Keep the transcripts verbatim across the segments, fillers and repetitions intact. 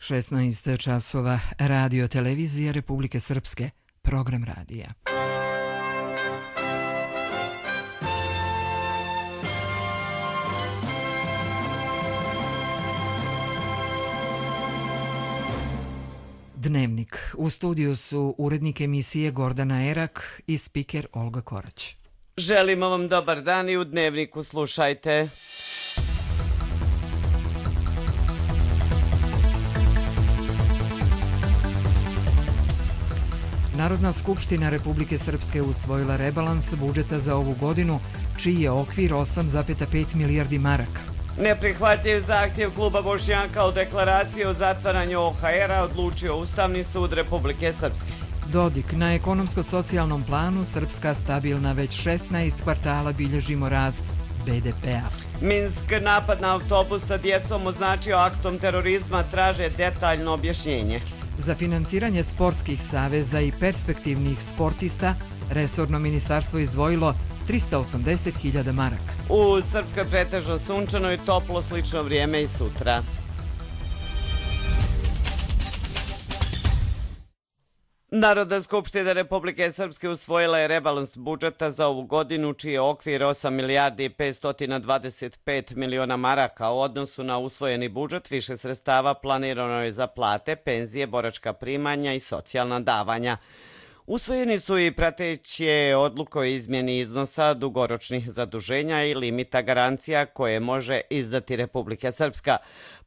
šesnaest časova, Radio Televizija Republike Srpske, program radija. Dnevnik. U studiju su urednik emisije Gordana Erak i spiker Olga Korać. Želimo vam dobar dan i u Dnevniku slušajte. Narodna skupština Republike Srpske usvojila rebalans budžeta za ovu godinu, čiji je okvir osam zarez pet milijardi maraka. Neprihvatljiv zahtjev kluba Bošnjaka o deklaraciji o zatvaranju O H R-a odlučio Ustavni sud Republike Srpske. Dodik. Na ekonomsko-socijalnom planu Srpska stabilna već šesnaest kvartala bilježimo rast B D P-a. Minsk. Napad na autobus sa djecom označio aktom terorizma, traže detaljno objašnjenje. Za financiranje sportskih saveza i perspektivnih sportista resorno ministarstvo izdvojilo trista osamdeset hiljada maraka. U Srpskoj pretežno sunčano i toplo, slično vrijeme i sutra. Narodna skupština Republike Srpske usvojila je rebalans budžeta za ovu godinu, čiji je okvir osam milijardi i petsto dvadeset pet miliona maraka. U odnosu na usvojeni budžet više sredstava planirano je za plate, penzije, boračka primanja i socijalna davanja. Usvojeni su i prateće odluke o izmjeni iznosa dugoročnih zaduženja i limita garancija koje može izdati Republika Srpska.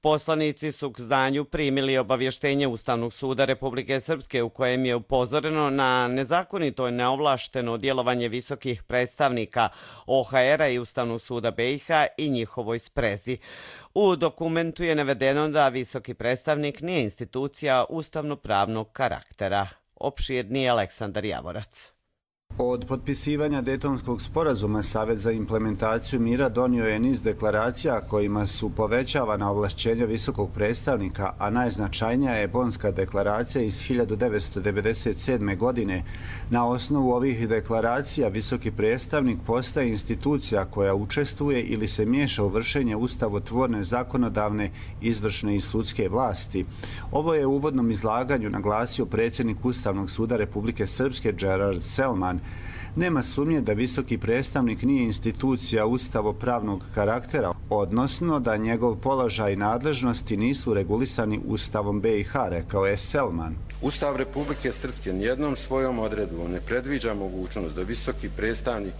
Poslanici su k znanju primili obavještenje Ustavnog suda Republike Srpske u kojem je upozoreno na nezakonito i neovlašteno djelovanje visokih predstavnika O H R-a i Ustavnog suda B i H i njihovoj sprezi. U dokumentu je navedeno da visoki predstavnik nije institucija ustavno-pravnog karaktera. Opširni Aleksandar Javorac. Od potpisivanja Dejtonskog sporazuma Savet za implementaciju mira donio je niz deklaracija kojima su povećavana ovlašćenja visokog predstavnika, a najznačajnija je Bonska deklaracija iz hiljadu devetsto devedeset sedme. godine. Na osnovu ovih deklaracija visoki predstavnik postaje institucija koja učestvuje ili se miješa u vršenje ustavotvorne, zakonodavne, izvršne i sudske vlasti. Ovo je u uvodnom izlaganju naglasio predsjednik Ustavnog suda Republike Srpske Gerard Selman. Nema sumnje da visoki predstavnik nije institucija ustavopravnog karaktera, odnosno da njegov položaj i nadležnosti nisu regulisani Ustavom B i H, rekao je Selman. Ustav Republike Srpske nijednom svojom odredbom ne predviđa mogućnost da visoki predstavnik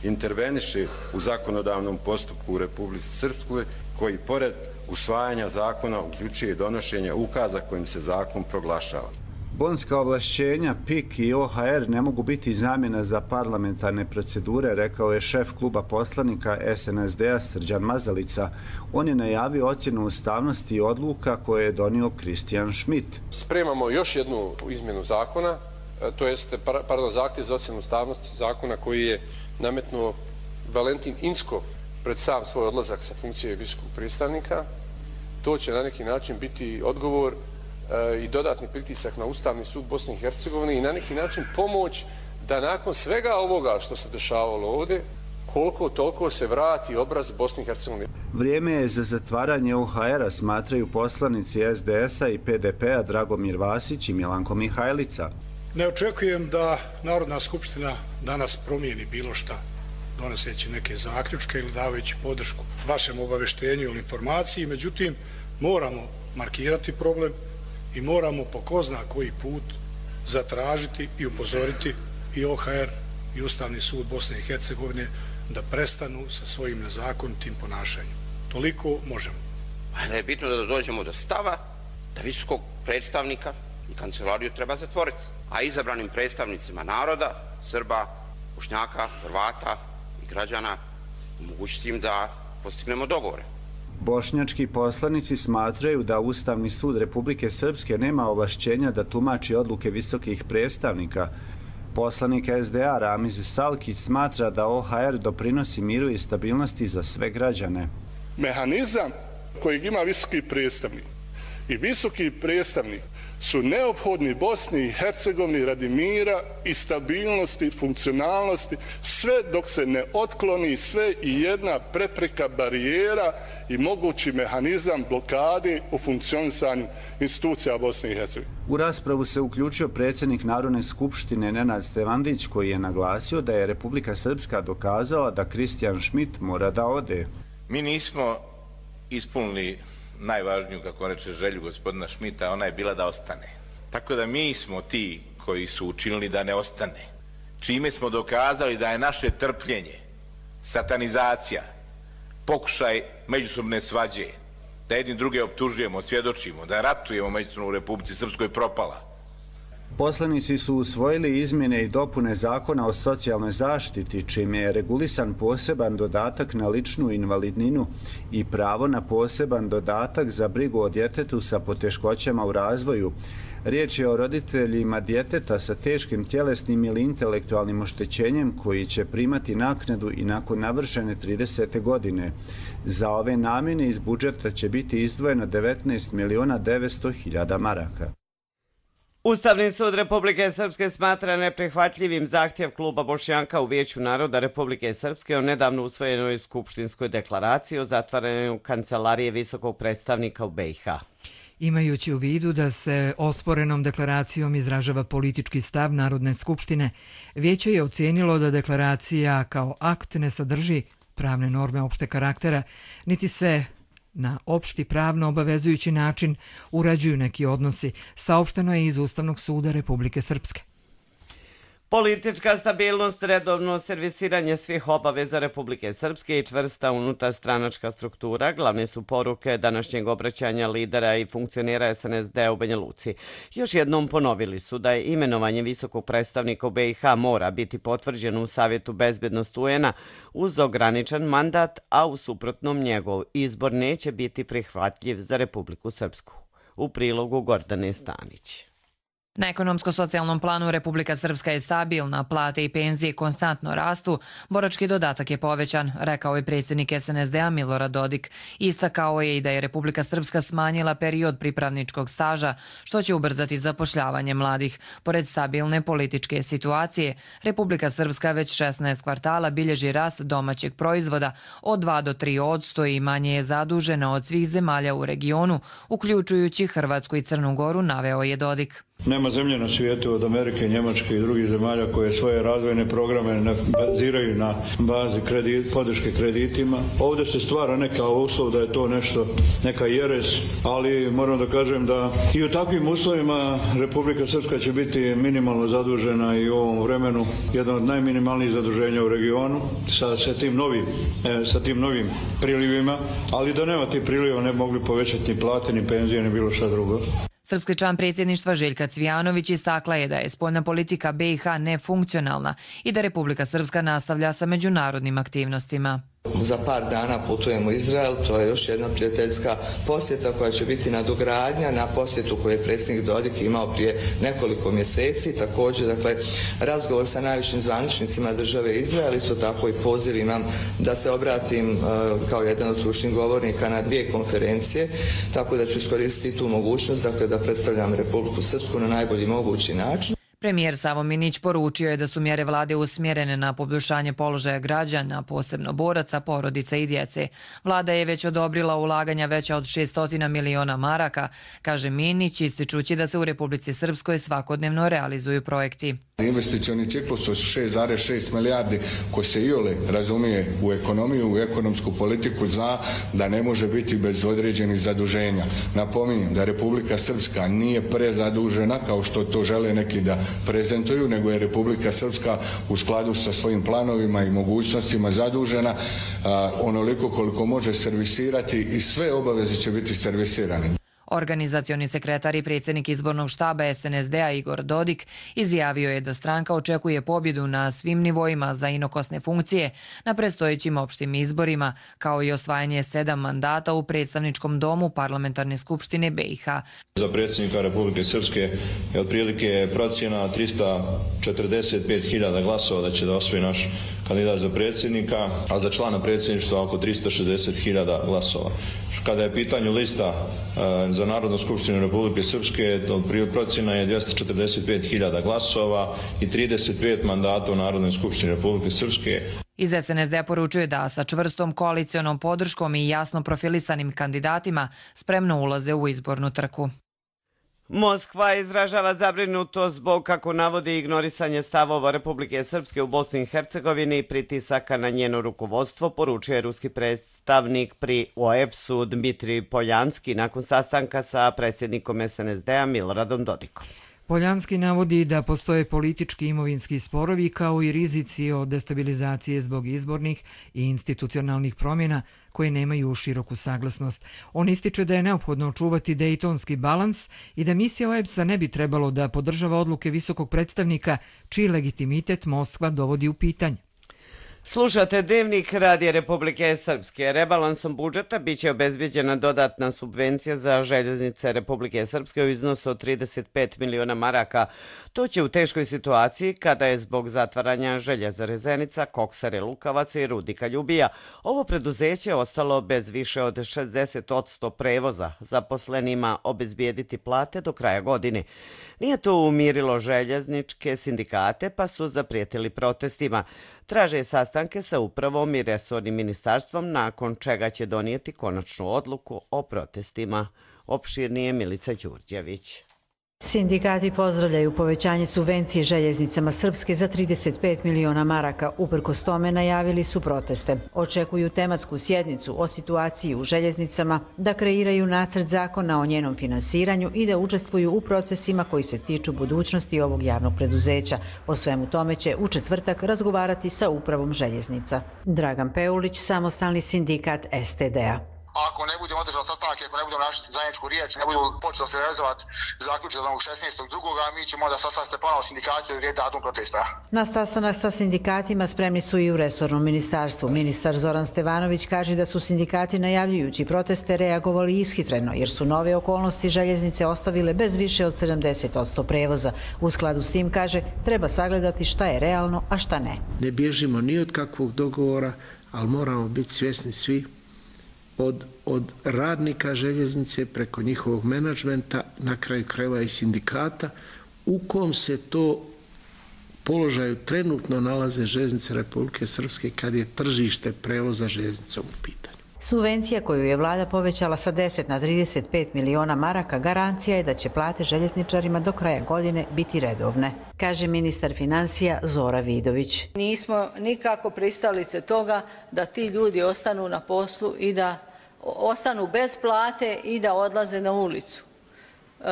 interveniše u zakonodavnom postupku u Republici Srpskoj, koji pored usvajanja zakona uključuje donošenje ukaza kojim se zakon proglašava. Bonska ovlašćenja P I K i O H R ne mogu biti zamjena za parlamentarne procedure, rekao je šef kluba poslanika S N S D-a Srđan Mazalica. On je najavio ocjenu ustavnosti odluka koje je donio Kristijan Schmidt. Spremamo još jednu izmjenu zakona, to jest pardon, zahtjev za ocjenu ustavnosti zakona koji je nametnuo Valentin Inzko pred sam svoj odlazak sa funkcije visokog predstavnika. To će na neki način biti odgovor i dodatni pritisak na Ustavni sud Bosne i Hercegovine i na neki način pomoć da nakon svega ovoga što se dešavalo ovdje, koliko toliko se vrati obraz Bosne i Hercegovine. Vrijeme je za zatvaranje O H R-a, smatraju poslanici S D S-a i P D P-a Dragomir Vasić i Milanko Mihajlica. Ne očekujem da Narodna skupština danas promijeni bilo šta, donoseći neke zaključke ili davajući podršku vašem obavještenju ili informaciji, međutim moramo markirati problem i moramo po ko zna koji put zatražiti i upozoriti i O H R i Ustavni sud Bosne i Hercegovine da prestanu sa svojim nezakonitim ponašanjem. Toliko možemo. Da je bitno da dođemo do stava da visokog predstavnika i kancelariju treba zatvoriti, a izabranim predstavnicima naroda, Srba, Bošnjaka, Hrvata i građana omogućiti im da postignemo dogovore. Bošnjački poslanici smatraju da Ustavni sud Republike Srpske nema ovlašćenja da tumači odluke visokih predstavnika. Poslanik S D A Ramiz Salkić smatra da O H R doprinosi miru i stabilnosti za sve građane. Mehanizam kojeg ima visoki predstavnik i visoki predstavnik su neophodni Bosni i Hercegovini radi mira i stabilnosti, funkcionalnosti, sve dok se ne otkloni sve i jedna prepreka, barijera i mogući mehanizam blokade u funkcionisanju institucija Bosne i Hercegovine. U raspravu se uključio predsjednik Narodne skupštine Nenad Stevandić, koji je naglasio da je Republika Srpska dokazala da Kristijan Šmit mora da ode. Mi nismo ispunili najvažniju, kako reče, želju gospodina Šmita, ona je bila da ostane. Tako da mi smo ti koji su učinili da ne ostane. Čime smo dokazali da je naše trpljenje, satanizacija, pokušaj međusobne svađe, da jedni druge optužujemo, svjedočimo, da ratujemo međusobno u Republici Srpskoj propala. Poslanici su usvojili izmjene i dopune Zakona o socijalnoj zaštiti, čime je regulisan poseban dodatak na ličnu invalidninu i pravo na poseban dodatak za brigu o djetetu sa poteškoćama u razvoju. Riječ je o roditeljima djeteta sa teškim tjelesnim ili intelektualnim oštećenjem koji će primati naknadu i nakon navršene tridesete godine. Za ove namjene iz budžeta će biti izdvojeno devetnaest miliona devetsto hiljada maraka. Ustavni sud Republike Srpske smatra neprihvatljivim zahtjev kluba Bošnjaka u Vijeću naroda Republike Srpske o nedavno usvojenoj skupštinskoj deklaraciji o zatvaranju kancelarije visokog predstavnika u B i H. Imajući u vidu da se osporenom deklaracijom izražava politički stav Narodne skupštine, Vijeće je ocijenilo da deklaracija kao akt ne sadrži pravne norme opšte karaktera, niti se na opšti pravno obavezujući način urađuju neki odnosi, saopšteno je iz Ustavnog suda Republike Srpske. Politička stabilnost, redovno servisiranje svih obaveza Republike Srpske i čvrsta unutarstranačka struktura glavne su poruke današnjeg obraćanja lidera i funkcionera S N S D u Banja Luci. Još jednom ponovili su da je imenovanje visokog predstavnika u B i H mora biti potvrđeno u Savjetu bezbednosti U N-a uz ograničen mandat, a u suprotnom njegov izbor neće biti prihvatljiv za Republiku Srpsku. U prilogu Gordane Stanić. Na ekonomsko-socijalnom planu Republika Srpska je stabilna, plate i penzije konstantno rastu, borački dodatak je povećan, rekao je predsjednik S N S D-a Milorad Dodik. Istakao je i da je Republika Srpska smanjila period pripravničkog staža, što će ubrzati zapošljavanje mladih. Pored stabilne političke situacije, Republika Srpska već šesnaest kvartala bilježi rast domaćeg proizvoda od dva do tri posto i manje je zadužena od svih zemalja u regionu, uključujući Hrvatsku i Crnu Goru, naveo je Dodik. Nema zemlje na svijetu od Amerike, Njemačke i drugih zemalja koje svoje razvojne programe baziraju na bazi kredit, podrške kreditima. Ovdje se stvara neka uslov da je to nešto, neka jeres, ali moram da kažem da i u takvim uslovima Republika Srpska će biti minimalno zadužena i u ovom vremenu jedna od najminimalnijih zaduženja u regionu sa, sa, tim, novim, e, sa tim novim prilivima, ali da nema tih priliva ne bi mogli povećati ni plate, ni penzije, ni bilo šta drugo. Srpski član predsjedništva Željka Cvijanović istakla je da je spoljna politika B i H nefunkcionalna i da Republika Srpska nastavlja sa međunarodnim aktivnostima. Za par dana putujemo u Izrael, to je još jedna prijateljska posjeta koja će biti nadogradnja na posjetu koju je predsjednik Dodik imao prije nekoliko mjeseci. Također, dakle, razgovor sa najvišim zvaničnicima države Izrael, isto tako i poziv imam da se obratim uh, kao jedan od ključnih govornika na dvije konferencije, tako da ću iskoristiti tu mogućnost, dakle, da predstavljam Republiku Srpsku na najbolji mogući način. Premijer Savo Minić poručio je da su mjere vlade usmjerene na poboljšanje položaja građana, posebno boraca, porodica i djece. Vlada je već odobrila ulaganja veća od šessto miliona maraka, kaže Minić, ističući da se u Republici Srpskoj svakodnevno realizuju projekti. Investicioni ciklus od šest zarez šest milijardi koji se iole razumije u ekonomiju, u ekonomsku politiku, zna da ne može biti bez određenih zaduženja. Napominjem da Republika Srpska nije prezadužena kao što to žele neki da prezentuju, nego je Republika Srpska u skladu sa svojim planovima i mogućnostima zadužena a, onoliko koliko može servisirati i sve obaveze će biti servisirane. Organizacioni sekretar i predsjednik izbornog štaba S N S D-a Igor Dodik izjavio je da stranka očekuje pobjedu na svim nivoima za inokosne funkcije na predstojećim opštim izborima, kao i osvajanje sedam mandata u predstavničkom domu Parlamentarne skupštine B i H. Za predsjednika Republike Srpske je otprilike procjena trista četrdeset pet hiljada glasova da će da osvoji naš kandidat za predsjednika, a za člana predsjedništva oko tristo šezdeset hiljada glasova. Kada je u pitanju lista za Narodnu skupštinu Republike Srpske, procjena je dvjesto četrdeset pet hiljada glasova i trideset pet mandata u Narodnoj skupštini Republike Srpske. Iz S N S D poručuje da sa čvrstom koalicionom podrškom i jasno profilisanim kandidatima spremno ulaze u izbornu trku. Moskva izražava zabrinutost zbog, kako navodi, ignorisanje stavova Republike Srpske u Bosni i Hercegovini i pritisaka na njeno rukovodstvo, poručuje ruski predstavnik pri O E B S-u Dmitrij Poljanski nakon sastanka sa predsjednikom S N S D-a Miloradom Dodikom. Poljanski navodi da postoje politički i imovinski sporovi kao i rizici od destabilizacije zbog izbornih i institucionalnih promjena koje nemaju široku saglasnost. On ističe da je neophodno očuvati dejtonski balans i da misija O E B S-a ne bi trebalo da podržava odluke visokog predstavnika čiji legitimitet Moskva dovodi u pitanje. Slušate Dnevnik Radija Republike Srpske. Rebalansom budžeta biće obezbeđena dodatna subvencija za željeznice Republike Srpske u iznosu od trideset pet miliona maraka. To će u teškoj situaciji kada je zbog zatvaranja Željezare Zenica, Koksare Lukavac i Rudnika Ljubija ovo preduzeće ostalo bez više od šezdeset posto prevoza, zaposlenima obezbijediti plate do kraja godine. Nije to umirilo željezničke sindikate pa su zaprijetili protestima. Traže sastanke sa upravom i resornim ministarstvom, nakon čega će donijeti konačnu odluku o protestima. Opširnije Milica Đurđević. Sindikati pozdravljaju povećanje subvencije željeznicama Srpske za trideset pet miliona maraka. Uprkos tome najavili su proteste. Očekuju tematsku sjednicu o situaciji u željeznicama, da kreiraju nacrt zakona o njenom finansiranju i da učestvuju u procesima koji se tiču budućnosti ovog javnog preduzeća. O svemu tome će u četvrtak razgovarati sa upravom željeznica. Dragan Peulić, samostalni sindikat S T D-a. Ako ne budemo održali sastanke, ako ne budemo našli zajedničku riječ, ne budu počeli se realizovati zaključak za šesnaestog drugog mi ćemo da sastavimo se ponovo sindikati od rijed datum protesta. Na sastanak sa sindikatima spremni su i u resornom ministarstvu. Ministar Zoran Stevanović kaže da su sindikati najavljujući proteste reagovali ishitreno, jer su nove okolnosti željeznice ostavile bez više od sedamdeset posto prevoza. U skladu s tim, kaže, treba sagledati šta je realno, a šta ne. Ne bježimo ni od kakvog dogovora, ali moramo biti svjesni svi Od, od radnika željeznice preko njihovog menadžmenta, na kraju krajeva i sindikata, u kom se to položaju trenutno nalaze željeznice Republike Srpske kad je tržište prevoza željeznicom u pitanju. Subvencija koju je vlada povećala sa deset na trideset pet miliona maraka garancija je da će plate željezničarima do kraja godine biti redovne, kaže ministar financija Zora Vidović. Nismo nikako pristalice toga da ti ljudi ostanu na poslu i da ostanu bez plate i da odlaze na ulicu.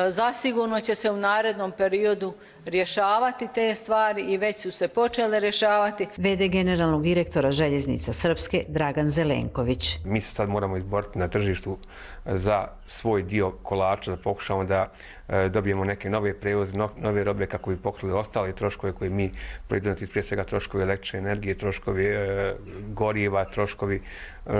Zasigurno će se u narednom periodu rješavati te stvari i već su se počele rješavati. V D generalnog direktora željeznica Srpske Dragan Zelenković. Mi se sad moramo izboriti na tržištu za svoj dio kolača, da pokušamo da dobijemo neke nove prevoze, nove robe kako bi pokrili ostale troškove koje mi proizvodimo, prije svega troškovi električne energije, troškovi goriva, troškovi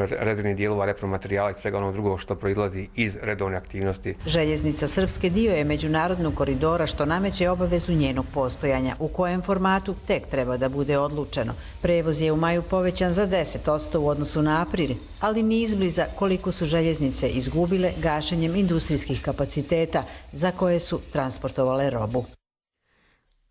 rezervnih dijelova, repromaterijala i svega onog drugog što proizlazi iz redovne aktivnosti. Željeznica Srpske dio je međunarodnog koridora što nameće obavezu njenog postojanja. U kojem formatu tek treba da bude odlučeno. Prevoz je u maju povećan za deset posto u odnosu na april, ali ni izbliza koliko su željeznice izgubile gašenjem industrijskih kapaciteta za koje su transportovale robu.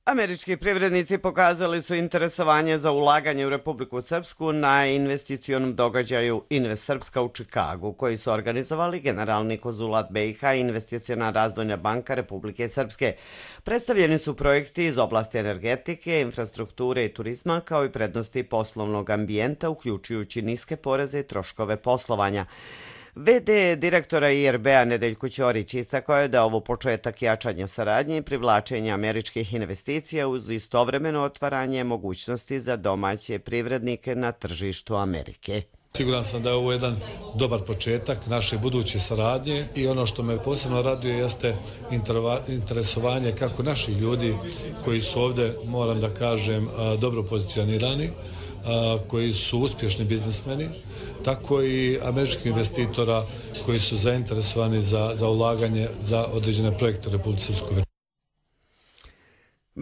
Američki privrednici pokazali su interesovanje za ulaganje u Republiku Srpsku na investicionom događaju Invest Srpska u Čikagu, koji su organizovali generalni konzulat B i H i Investiciona razvojna banka Republike Srpske. Predstavljeni su projekti iz oblasti energetike, infrastrukture i turizma, kao i prednosti poslovnog ambijenta, uključujući niske poreze i troškove poslovanja. V D direktora I R B-a Nedeljko Ćorić istakao je da ovo početak jačanja saradnje i privlačenja američkih investicija uz istovremeno otvaranje mogućnosti za domaće privrednike na tržištu Amerike. Siguran sam da je ovo jedan dobar početak naše buduće saradnje i ono što me posebno raduje jeste interesovanje kako naših ljudi koji su ovdje, moram da kažem, dobro pozicionirani, koji su uspješni biznismeni, tako i američkih investitora koji su zainteresovani za, za ulaganje za određene projekte u Republici Srpskoj.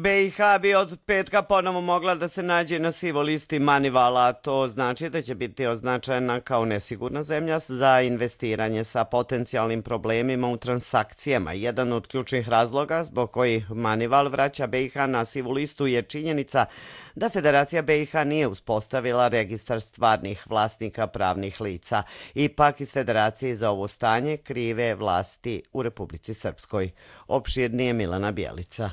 B i H bi od petka ponovo mogla da se nađe na sivoj listi Manivala. To znači da će biti označena kao nesigurna zemlja za investiranje sa potencijalnim problemima u transakcijama. Jedan od ključnih razloga zbog kojih Manival vraća B i H na sivu listu je činjenica da Federacija B i H nije uspostavila registar stvarnih vlasnika pravnih lica. Ipak iz Federacije za ovo stanje krive vlasti u Republici Srpskoj. Opširnije Milana Bjelica.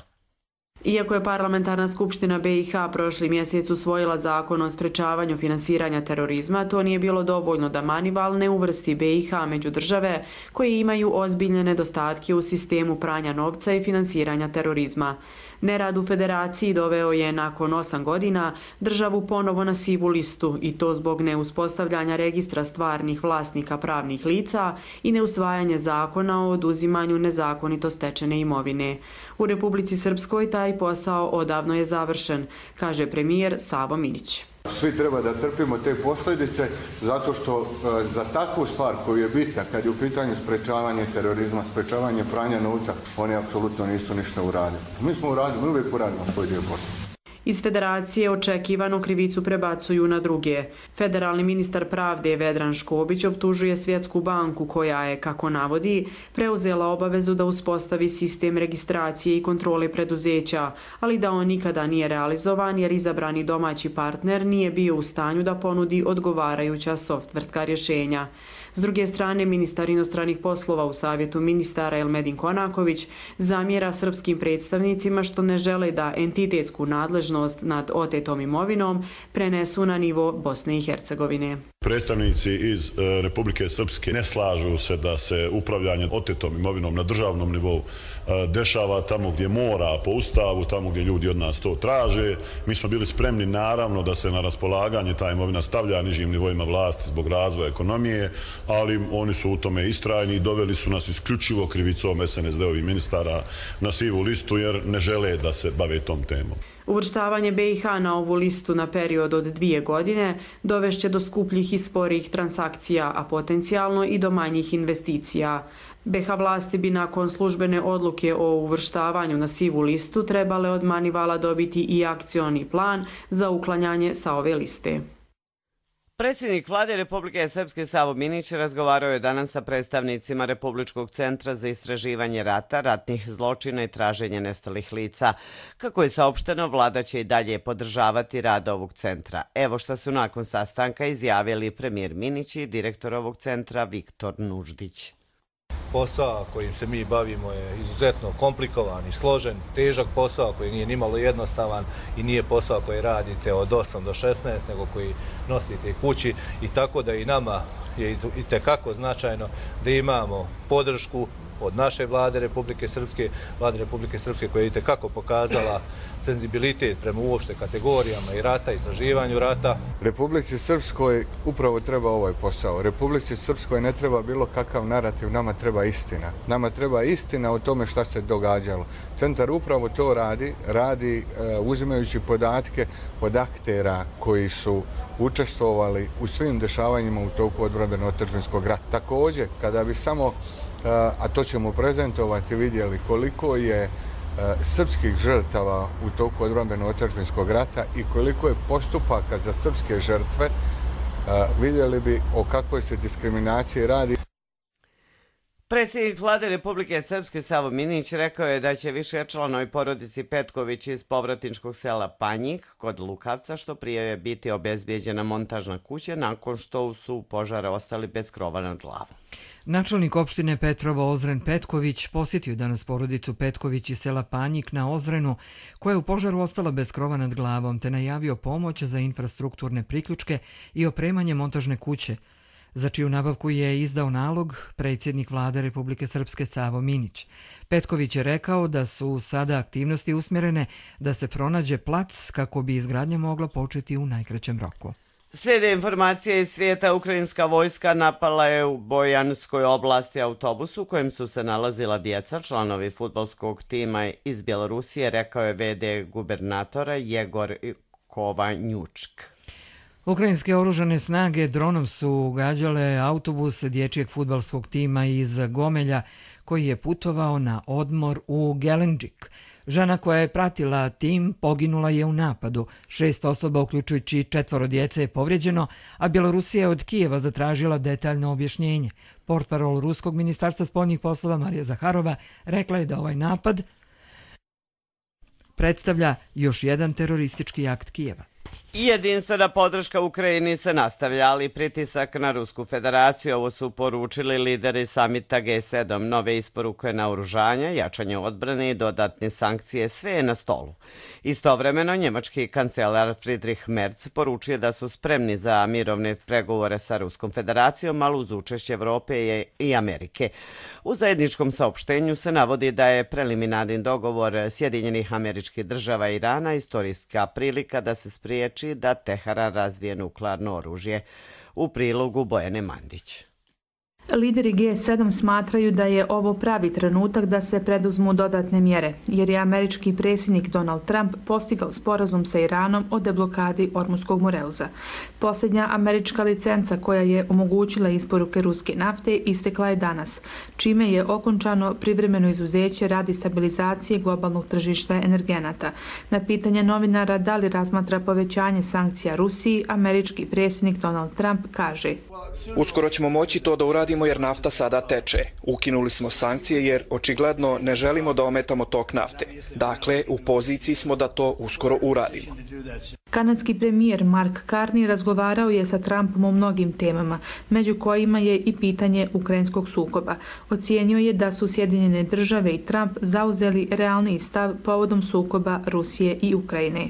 Iako je Parlamentarna skupština B i H prošli mjesec usvojila zakon o sprečavanju finansiranja terorizma, to nije bilo dovoljno da Manival ne uvrsti B i H među države koje imaju ozbiljne nedostatke u sistemu pranja novca i finansiranja terorizma. Nerad u Federaciji doveo je nakon osam godina državu ponovo na sivu listu i to zbog neuspostavljanja registra stvarnih vlasnika pravnih lica i neusvajanje zakona o oduzimanju nezakonito stečene imovine. U Republici Srpskoj taj posao odavno je završen, kaže premijer Savo Minić. Svi treba da trpimo te posljedice zato što za takvu stvar koju je bitna kad je u pitanju sprečavanje terorizma, sprečavanje pranja novca, oni apsolutno nisu ništa uradili. Mi smo uradili, mi uvijek uradimo svoj dio posla. Iz Federacije očekivano krivicu prebacuju na druge. Federalni ministar pravde Vedran Škobić optužuje Svjetsku banku koja je, kako navodi, preuzela obavezu da uspostavi sistem registracije i kontrole preduzeća, ali da on nikada nije realizovan jer izabrani domaći partner nije bio u stanju da ponudi odgovarajuća softverska rješenja. S druge strane, ministar inostranih poslova u Savjetu ministara Elmedin Konaković zamjera srpskim predstavnicima što ne žele da entitetsku nadležnost nad otetom imovinom prenesu na nivo Bosne i Hercegovine. Predstavnici iz Republike Srpske ne slažu se da se upravljanje otetom imovinom na državnom nivou dešava tamo gdje mora po ustavu, tamo gdje ljudi od nas to traže. Mi smo bili spremni naravno da se na raspolaganje ta imovina stavlja nižim nivoima vlasti zbog razvoja ekonomije, ali oni su u tome istrajni i doveli su nas isključivo krivicom S N S D-ovih ministara na sivu listu jer ne žele da se bave tom temom. Uvrštavanje B i H na ovu listu na period od dvije godine dovešće do skupljih i sporijih transakcija, a potencijalno i do manjih investicija. B H vlasti bi nakon službene odluke o uvrštavanju na sivu listu trebale od Manivala dobiti i akcioni plan za uklanjanje sa ove liste. Predsjednik vlade Republike Srpske Savo Minić razgovarao je danas sa predstavnicima Republičkog centra za istraživanje rata, ratnih zločina i traženje nestalih lica. Kako je saopšteno, vlada će i dalje podržavati rad ovog centra. Evo što su nakon sastanka izjavili premijer Minić i direktor ovog centra Viktor Nuždić. Posao kojim se mi bavimo je izuzetno komplikovan i složen, težak posao koji nije nimalo jednostavan i nije posao koji radite od osam do šesnaest, nego koji nosite kući i tako da i nama je itekako značajno da imamo podršku od naše vlade Republike Srpske, vlade Republike Srpske koja je itekako pokazala senzibilitet prema uopšte kategorijama i rata, istraživanju rata. Republici Srpskoj upravo treba ovaj posao. Republici Srpskoj ne treba bilo kakav narativ, nama treba istina. Nama treba istina o tome šta se događalo. Centar upravo to radi, radi uh, uzimajući podatke od aktera koji su učestvovali u svim dešavanjima u toku odbrambeno-otadžbinskog rata. Također, kada bi samo a to ćemo prezentovati, vidjeli koliko je srpskih žrtava u toku odbrambeno-otadžbinskog rata i koliko je postupaka za srpske žrtve, vidjeli bi o kakvoj se diskriminaciji radi. Predsjednik vlade Republike Srpske Savo Minić rekao je da će više članovi porodici Petković iz povratničkog sela Panjik kod Lukavca što prije je biti obezbijeđena montažna kuća nakon što su požara ostali bez krova nad glavom. Načelnik opštine Petrovo Ozren Petković posjetio danas porodicu Petković iz sela Panjik na Ozrenu koja je u požaru ostala bez krova nad glavom te najavio pomoć za infrastrukturne priključke i opremanje montažne kuće, za čiju nabavku je izdao nalog predsjednik vlade Republike Srpske Savo Minić. Petković je rekao da su sada aktivnosti usmjerene da se pronađe plac kako bi izgradnja mogla početi u najkraćem roku. Slijede informacije iz svijeta. Ukrajinska vojska napala je u Bojanskoj oblasti autobus u kojem su se nalazila djeca, članovi fudbalskog tima iz Bjelorusije, rekao je ve de gubernatora Jegor Kovanjučk. Ukrajinske oružane snage dronom su gađale autobus dječjeg fudbalskog tima iz Gomelja koji je putovao na odmor u Gelenđik. Žena koja je pratila tim poginula je u napadu. Šest osoba, uključujući četvoro djece, je povrijeđeno, a Bjelorusija je od Kijeva zatražila detaljno objašnjenje. Portparol Ruskog ministarstva spoljnih poslova Marija Zaharova rekla je da ovaj napad predstavlja još jedan teroristički akt Kijeva. Jedinstvena podrška Ukrajini se nastavlja, ali pritisak na Rusku federaciju. Ovo su poručili lideri samita G sedam. Nove isporuke naoružanja, jačanje odbrane i dodatne sankcije, sve je na stolu. Istovremeno, njemački kancelar Friedrich Merz poručio da su spremni za mirovne pregovore sa Ruskom federacijom, ali uz učešće Evrope i Amerike. U zajedničkom saopštenju se navodi da je preliminarni dogovor Sjedinjenih Američkih Država i Irana istorijska prilika da se spriječi da Teheran razvije nuklearno oružje. U prilogu Bojane Mandić. Lideri G sedam smatraju da je ovo pravi trenutak da se preduzmu dodatne mjere, jer je američki predsjednik Donald Trump postigao sporazum sa Iranom o deblokadi Ormuskog Moreuza. Posljednja američka licenca koja je omogućila isporuke ruske nafte istekla je danas, čime je okončano privremeno izuzeće radi stabilizacije globalnog tržišta energenata. Na pitanje novinara da li razmatra povećanje sankcija Rusiji, američki predsjednik Donald Trump kaže: Uskoro ćemo moći to da uradimo jer nafta sada teče. Ukinuli smo sankcije jer očigledno ne želimo da ometamo tok nafte. Dakle, u poziciji smo da to uskoro uradimo. Kanadski premijer Mark Carney razgovarao je sa Trumpom o mnogim temama, među kojima je i pitanje ukrajinskog sukoba. Ocijenio je da su Sjedinjene države i Trump zauzeli realni stav povodom sukoba Rusije i Ukrajine.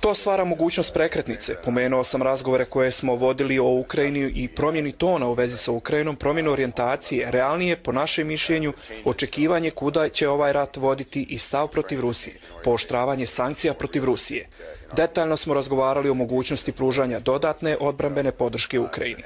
To stvara mogućnost prekretnice. Pomenuo sam razgovore koje smo vodili o Ukrajini i promjeni tona u vezi sa Ukrajinom, promjenu orijentacije, realnije, po našem mišljenju, očekivanje kuda će ovaj rat voditi i stav protiv Rusije, pooštravanje sankcija protiv Rusije. Detaljno smo razgovarali o mogućnosti pružanja dodatne odbrambene podrške Ukrajini.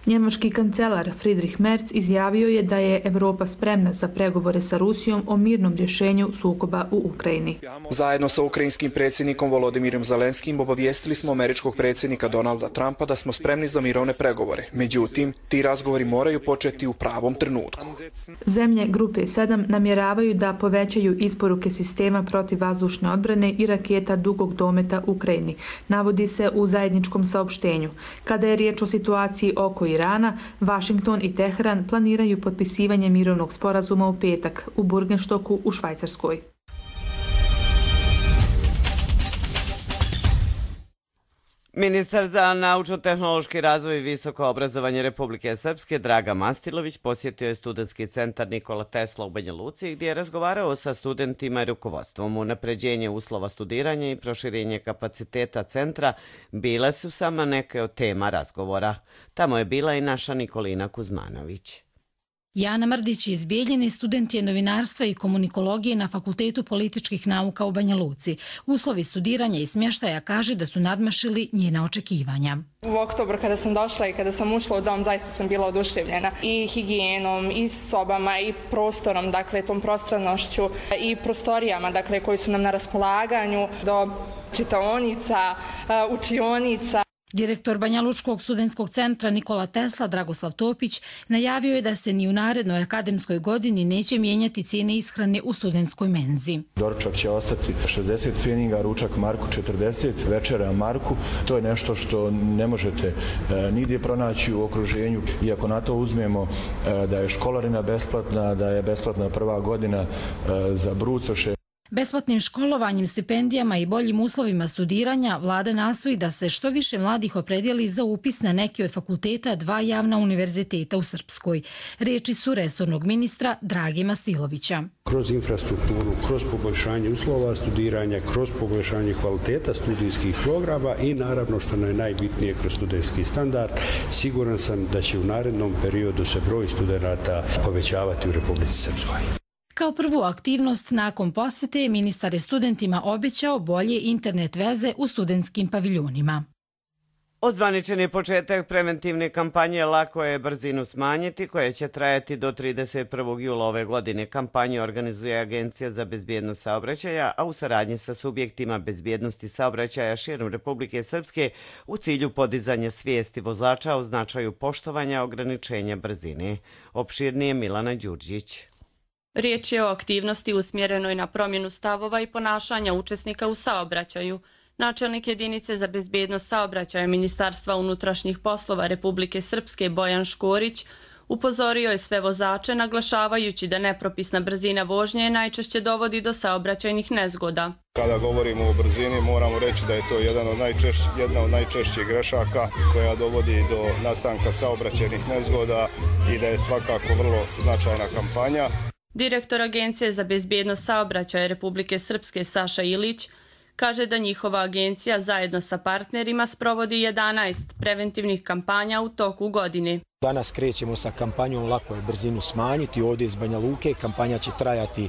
Njemački kancelar Friedrich Merz izjavio je da je Evropa spremna za pregovore sa Rusijom o mirnom rješenju sukoba u Ukrajini. Zajedno sa ukrajinskim predsjednikom Volodimirom Zelenskim obavijestili smo američkog predsjednika Donalda Trumpa da smo spremni za mirovne pregovore. Međutim, ti razgovori moraju početi u pravom trenutku. Zemlje grupe sedam namjeravaju da povećaju isporuke sistema protivvazdušne odbrane i raketa dugog dometa Ukrajini, navodi se u zajedničkom saopštenju. Kada je riječ o situaciji oko Irana, Vašington i Teheran planiraju potpisivanje mirovnog sporazuma u petak u Burgenstoku u Švajcarskoj. Ministar za naučno-tehnološki razvoj i visoko obrazovanje Republike Srpske Draga Mastilović posjetio je studentski centar Nikola Tesla u Banja Luci gdje je razgovarao sa studentima i rukovodstvom. Unapređenje uslova studiranja i proširenje kapaciteta centra bile su samo neke od tema razgovora. Tamo je bila i naša Nikolina Kuzmanović. Jana Mrdić iz Bijeljine, student je novinarstva i komunikologije na Fakultetu političkih nauka u Banja Luci. Uslovi studiranja i smještaja kaže da su nadmašili njena očekivanja. U oktobru kada sam došla i kada sam ušla u dom, zaista sam bila oduševljena i higijenom, i sobama, i prostorom, dakle tom prostornošću, i prostorijama, dakle koji su nam na raspolaganju, do čitaonica, učionica. Direktor Banja Lučkog studentskog centra Nikola Tesla Dragoslav Topić najavio je da se ni u narednoj akademskoj godini neće mijenjati cijene ishrane u studentskoj menzi. Doručak će ostati šezdeset feninga, ručak marku četrdeset, večera marku. To je nešto što ne možete e, nigdje pronaći u okruženju. Iako na to uzmemo e, da je školarina besplatna, da je besplatna prva godina e, za brucoše. Besplatnim školovanjem, stipendijama i boljim uslovima studiranja vlada nastoji da se što više mladih opredijeli za upis na neki od fakulteta dva javna univerziteta u Srpskoj. Riječi su resornog ministra Drage Mastilovića. Kroz infrastrukturu, kroz poboljšanje uslova studiranja, kroz poboljšanje kvaliteta studijskih programa i naravno što je najbitnije kroz studentski standard, siguran sam da će u narednom periodu se broj studenata povećavati u Republici Srpskoj. Kao prvu aktivnost nakon posjete, ministar je studentima obećao bolje internet veze u studentskim paviljonima. Ozvaničen je početak preventivne kampanje Lako je brzinu smanjiti, koja će trajati do trideset prvog jula ove godine. Kampanju organizuje Agencija za bezbjednost saobraćaja, a u saradnji sa subjektima bezbjednosti saobraćaja širom Republike Srpske u cilju podizanja svijesti vozača o značaju poštovanja ograničenja brzine. Opširnije Milana Đurđić. Riječ je o aktivnosti usmjerenoj na promjenu stavova i ponašanja učesnika u saobraćaju. Načelnik jedinice za bezbjednost saobraćaja Ministarstva unutrašnjih poslova Republike Srpske Bojan Škorić upozorio je sve vozače naglašavajući da nepropisna brzina vožnje najčešće dovodi do saobraćajnih nezgoda. Kada govorimo o brzini moramo reći da je to jedan od najčešć, jedna od najčešćih grešaka koja dovodi do nastanka saobraćajnih nezgoda i da je svakako vrlo značajna kampanja. Direktor Agencije za bezbjednost saobraćaja Republike Srpske Saša Ilić kaže da njihova agencija zajedno sa partnerima sprovodi jedanaest preventivnih kampanja u toku godine. Danas krećemo sa kampanjom Lako je brzinu smanjiti ovdje iz Banja Luke. Kampanja će trajati e,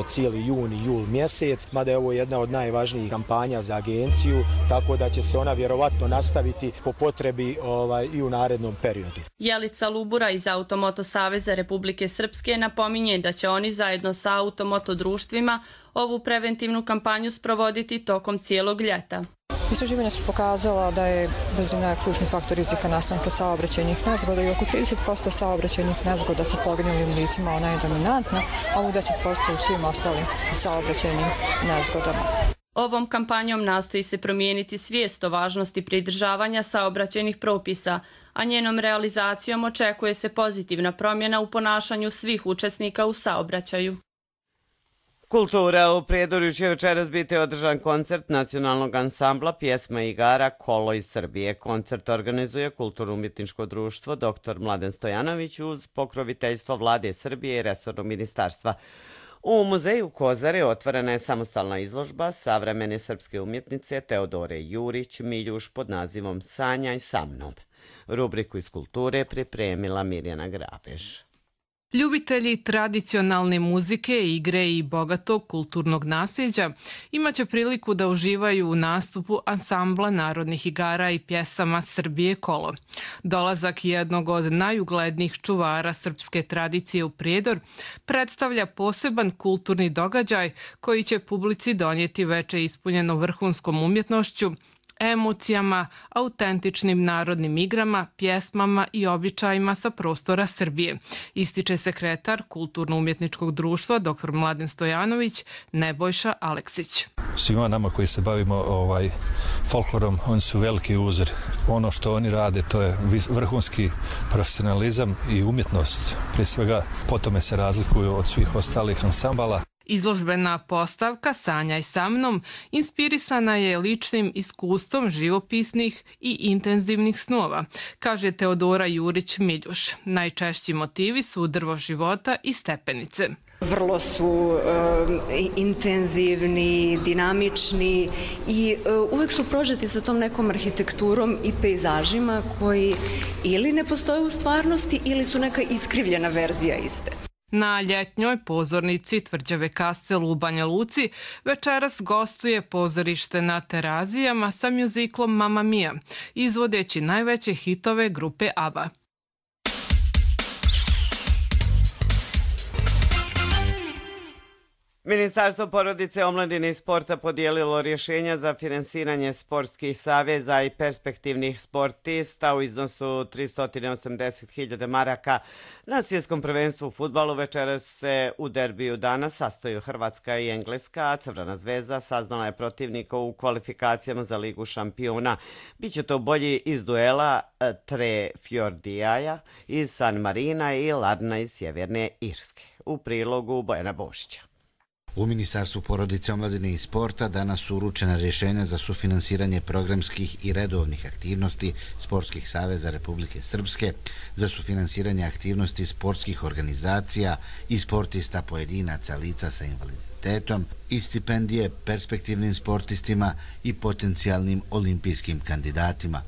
cijeli jun i jul mjesec, mada je ovo jedna od najvažnijih kampanja za agenciju, tako da će se ona vjerovatno nastaviti po potrebi ovaj, i u narednom periodu. Jelica Lubura iz Automoto Saveza Republike Srpske napominje da će oni zajedno sa automoto društvima ovu preventivnu kampanju sprovoditi tokom cijelog ljeta. Istraživanja su pokazala da je brzina ključni faktor rizika nastanka saobraćajnih nezgoda i oko trideset posto saobraćajnih nezgoda sa poginulim licima ona je dominantna, a u deset posto u svim ostalim saobraćajnim nezgodama. Ovom kampanjom nastoji se promijeniti svijest o važnosti pridržavanja saobraćajnih propisa, a njenom realizacijom očekuje se pozitivna promjena u ponašanju svih učesnika u saobraćaju. Kultura u Prijedorju će večeras biti održan koncert nacionalnog ansambla pjesma i igara Kolo iz Srbije. Koncert organizuje Kulturno-umjetničko društvo doktor Mladen Stojanović uz pokroviteljstvo Vlade Srbije i resornog ministarstva. U muzeju Kozare otvorena je samostalna izložba savremene srpske umjetnice Teodore Jurić Miljuš pod nazivom Sanjaj sa mnom. Rubriku iz kulture pripremila Mirjana Grabež. Ljubitelji tradicionalne muzike, igre i bogatog kulturnog nasljeđa imaće priliku da uživaju u nastupu ansambla narodnih igara i pjesama Srbije Kolo. Dolazak jednog od najuglednijih čuvara srpske tradicije u Prijedor predstavlja poseban kulturni događaj koji će publici donijeti veče ispunjeno vrhunskom umjetnošću, emocijama, autentičnim narodnim igrama, pjesmama i običajima sa prostora Srbije, ističe sekretar Kulturno-umjetničkog društva doktor Mladen Stojanović Nebojša Aleksić. Svima nama koji se bavimo ovaj folklorom, oni su veliki uzor. Ono što oni rade, to je vrhunski profesionalizam i umjetnost. Prije svega, po tome se razlikuju od svih ostalih ansambala. Izložbena postavka Sanjaj sa mnom inspirisana je ličnim iskustvom živopisnih i intenzivnih snova, kaže Teodora Jurić Miljuš. Najčešći motivi su drvo života i stepenice. Vrlo su uh, intenzivni, dinamični i uh, uvek su prožeti sa tom nekom arhitekturom i pejzažima koji ili ne postoje u stvarnosti ili su neka iskrivljena verzija iste. Na ljetnjoj pozornici Tvrđave Kastel u Banja Luci večeras gostuje pozorište na Terazijama sa mjuziklom Mamma Mia, izvodeći najveće hitove grupe ABBA. Ministarstvo porodice, omladine i sporta podijelilo rješenja za finansiranje sportskih saveza i perspektivnih sportista u iznosu tristo osamdeset hiljada maraka. Na svjetskom prvenstvu u fudbalu večeras se u derbiju dana sastaju Hrvatska i Engleska, a Crvena zvezda saznala je protivnika u kvalifikacijama za Ligu šampiona. Biće to bolji iz duela Tre Fjordijaja iz San Marina i Ladna iz Sjeverne Irske. U prilogu Bojana Bošića. U Ministarstvu porodice, omladine i sporta danas su uručena rješenja za sufinansiranje programskih i redovnih aktivnosti Sportskih saveza Republike Srpske, za sufinansiranje aktivnosti sportskih organizacija i sportista pojedinaca lica sa invaliditetom i stipendije perspektivnim sportistima i potencijalnim olimpijskim kandidatima.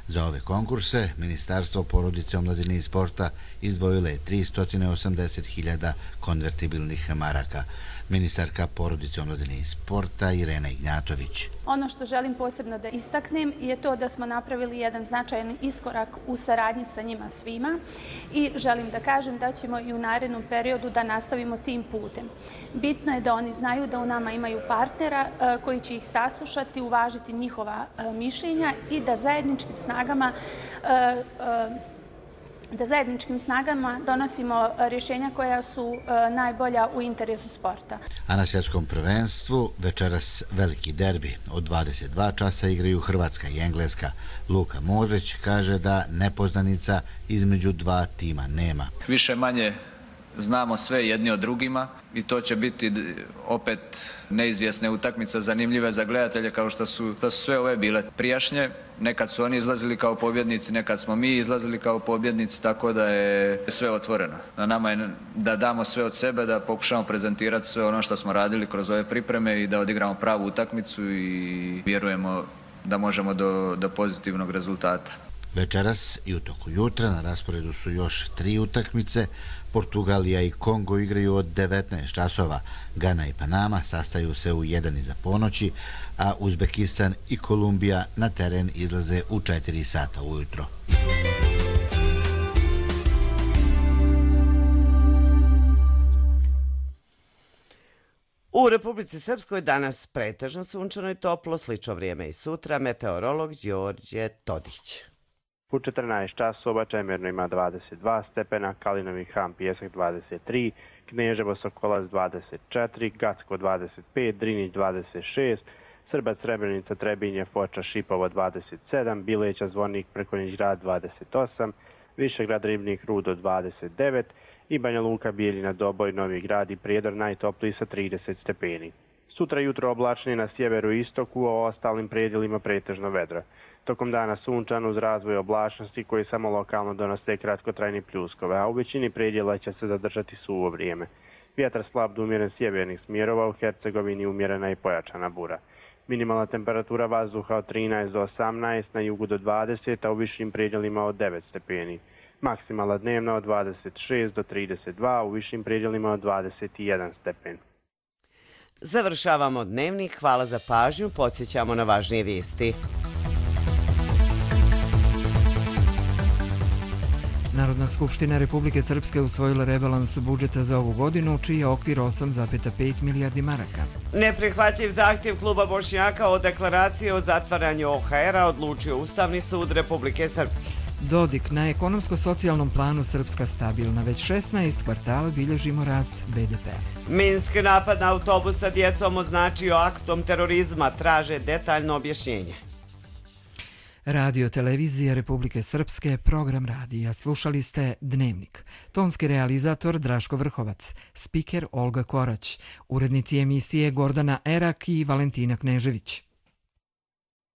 Za ove konkurse Ministarstvo porodice, omladine i sporta izdvojilo je tristo osamdeset hiljada konvertibilnih maraka. Ministarka porodice, omladine i sporta Irena Ignjatović. Ono što želim posebno da istaknem je to da smo napravili jedan značajan iskorak u saradnji sa njima svima i želim da kažem da ćemo i u narednom periodu da nastavimo tim putem. Bitno je da oni znaju da u nama imaju partnera koji će ih saslušati, uvažiti njihova mišljenja i da zajedničkim snagama da zajedničkim snagama donosimo rješenja koja su najbolja u interesu sporta. A na svjetskom prvenstvu večeras veliki derbi. Od dvadeset dva časa igraju Hrvatska i Engleska. Luka Modrić kaže da nepoznanica između dva tima nema. Više manje znamo sve jedni od drugima i to će biti opet neizvjesne utakmice, zanimljive za gledatelje kao što su, što su sve ove bile prijašnje. Nekad su oni izlazili kao pobjednici, nekad smo mi izlazili kao pobjednici, tako da je sve otvoreno. Na nama je da damo sve od sebe, da pokušamo prezentirati sve ono što smo radili kroz ove pripreme i da odigramo pravu utakmicu i vjerujemo da možemo do, do pozitivnog rezultata. Večeras i u toku jutra na rasporedu su još tri utakmice. Portugalija i Kongo igraju od devetnaest časova. Gana i Panama sastaju se u jedan iza ponoći, a Uzbekistan i Kolumbija na teren izlaze u četiri sata ujutro. U Republici Srpskoj danas pretežno sunčano i toplo, slično vrijeme i sutra, meteorolog Đorđe Todić. U četrnaest časova Čemerno ima dvadeset dva stepena, Kalinovi Han Pijesak dvadeset tri, Kneževo Sokolac dvadeset četiri, Gacko dvadeset pet, Drinić dvadeset šest, Srbac Srebrenica Trebinje Foča Šipovo dvadeset sedam, Bileća Zvornik Prkonjić Grad dvadeset osam, Višegrad Ribnik Rudo dvadeset devet i Banja Luka Bijeljina Doboj Novi Grad i Prijedor najtopliji sa trideset stepeni. Sutra jutro oblačnije na sjeveru i istoku, a o ostalim predjelima pretežno vedro. Tokom dana sunčano uz razvoj oblačnosti koji samo lokalno donose kratkotrajni pljuskove, a u većini predjela će se zadržati suvo vrijeme. Vjetar slab do umjeren sjevernih smjerova, u Hercegovini umjerena i pojačana bura. Minimalna temperatura vazduha od trinaest do osamnaest, na jugu do dvadeset, a u višim predjelima od devet stepeni. Maksimalna dnevna od dvadeset šest do trideset dva, a u višim predjelima od dvadeset jedan stepen. Završavamo dnevnik, hvala za pažnju, podsjećamo na važnije vijesti. Narodna skupština Republike Srpske usvojila rebalans budžeta za ovu godinu, čiji je okvir osam zarez pet milijardi maraka. Neprihvatljiv zahtjev kluba Bošnjaka o deklaraciji o zatvaranju O H R-a odlučio Ustavni sud Republike Srpske. Dodik, na ekonomsko-socijalnom planu Srpska stabilna, već šesnaest kvartala bilježimo rast B D P-a. Minsk napad na autobus sa djecom označio aktom terorizma, traže detaljno objašnjenje. Radio Televizija Republike Srpske, program radija. Slušali ste Dnevnik. Tonski realizator Draško Vrhovac, spiker Olga Korać, urednici emisije Gordana Erak i Valentina Knežević.